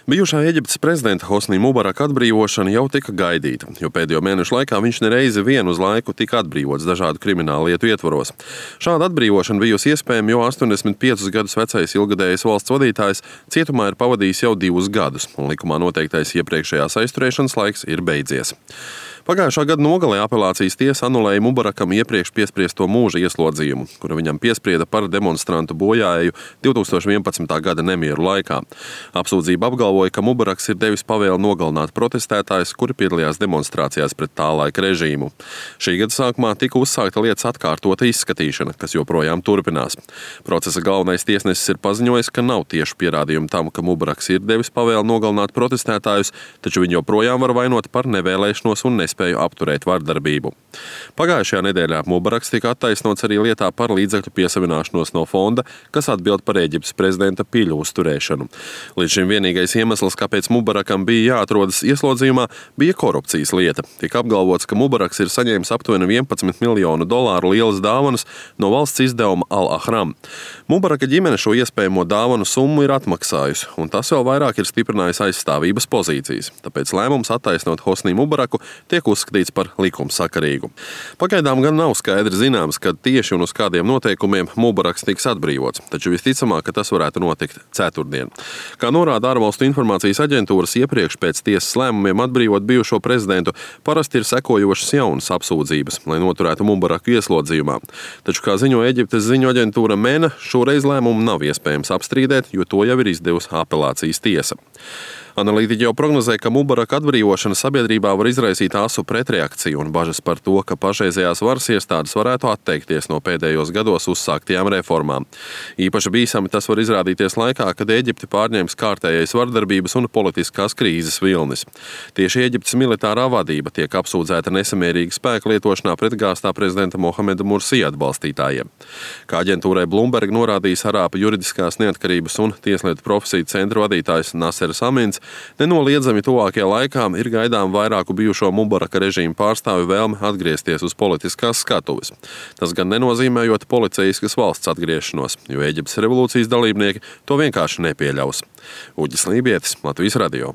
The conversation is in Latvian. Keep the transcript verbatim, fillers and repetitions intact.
Bijušā Eģiptes prezidenta Hosnī Mubaraka atbrīvošana jau tika gaidīta, jo pēdējo mēnešu laikā viņš nereizi vien uz laiku tika atbrīvots dažādu kriminālu lietu ietvaros. Šāda atbrīvošana bijusi iespējama, jo astoņdesmit piecus gadus vecais ilgadējais valsts vadītājs cietumā ir pavadījis jau divus gadus, un likumā noteiktais iepriekšējās aizturēšanas laiks ir beidzies. Pagājušā gada nogalē apelācijas tiesa anulēja Mubarakam iepriekš piespriesto mūža ieslodzījumu, kuru viņam piesprieda par demonstrantu bojāēju divi tūkstoši vienpadsmitā gada nemieru laikā. Apsūdzība apgalvoja, ka Mubaraks ir devis pavēli nogalināt protestētājus, kuri piedalījās demonstrācijās pret tā laika režīmu. Šī gada sākumā tika uzsākta lietas atkārtota izskatīšana, kas joprojām turpinās. Procesa galvenais tiesnesis ir paziņojis, ka nav tiešu pierādījumu tam, ka Mubaraks ir devis pavēli nogalināt protestētājus, taču viņu joprojām var vainot par nevēlēšanos un nespēju spēju apturēt vardarbību. Pagājušajā nedēļā Mubaraks tika attaisnots arī lietā par līdzekļu piesavināšanos no fonda, kas atbild par Eģiptes prezidenta piļu uzturēšanu. Līdz šim vienīgais iemesls, kāpēc Mubarakam bija jāatrodas ieslodzījumā, bija korupcijas lieta. Tika apgalvots, ka Mubaraks ir saņēmis aptuveni vienpadsmit miljonu dolāru lielas dāvanas no valsts izdevuma Al-Ahram. Mubaraka ģimene šo iespējamo dāvanu summu ir atmaksājusi, un tas vēl vairāk ir stiprinājis aizstāvības pozīcijas. Tāpēc lēmums attaisnot Hosnī Mubaraku tiek uzskatīts par likumsakarīgu. Pagaidām gan nav skaidri zināms, kad tieši un uz kādiem noteikumiem Mubaraks tiks atbrīvots, taču visticamāk, ka tas varētu notikt ceturtdien. Kā norāda ārvalstu informācijas aģentūras, iepriekš pēc tiesas lēmumiem atbrīvot bijušo prezidentu parasti ir sekojošas jaunas apsūdzības, lai noturētu Mubaraku ieslodzījumā. Taču, kā ziņo Eģiptes ziņu aģentūra MENA, šoreiz lēmumu nav iespējams apstrīdēt, jo to jau ir izdevusi apelācijas tiesa. Analītiķi jau prognozē, ka Mubaraka atbrīvošana sabiedrībā var izraisīt asu pretreakciju un bažas par to, ka pašreizējās varas iestādes varētu atteikties no pēdējos gados uzsāktajām reformām. Īpaši bīstami tas var izrādīties laikā, kad Eģipti pārņems kārtējais vardarbības un politiskās krīzes vilnis. Tieši Eģiptes militārā vadība tiek apsūdzēta nesamērīga spēka lietošanā pret gāztā prezidenta Mohameda Mursī atbalstītājiem. Kā aģentūrai Bloomberg norādījis Arābu juridiskās neatkarības un tieslietu profesiju centru vadītājs Nasers Amins, nenoliedzami tuvākajā laikā ir gaidām vairāku bijušo Mubaraka režīmu pārstāvju vēlme atgriezties uz politiskās skatuves. Tas gan nenozīmējot policeiskas valsts atgriešanos, jo Eģiptes revolūcijas dalībnieki to vienkārši nepieļaus. Uģis Lībietis, Latvijas radio.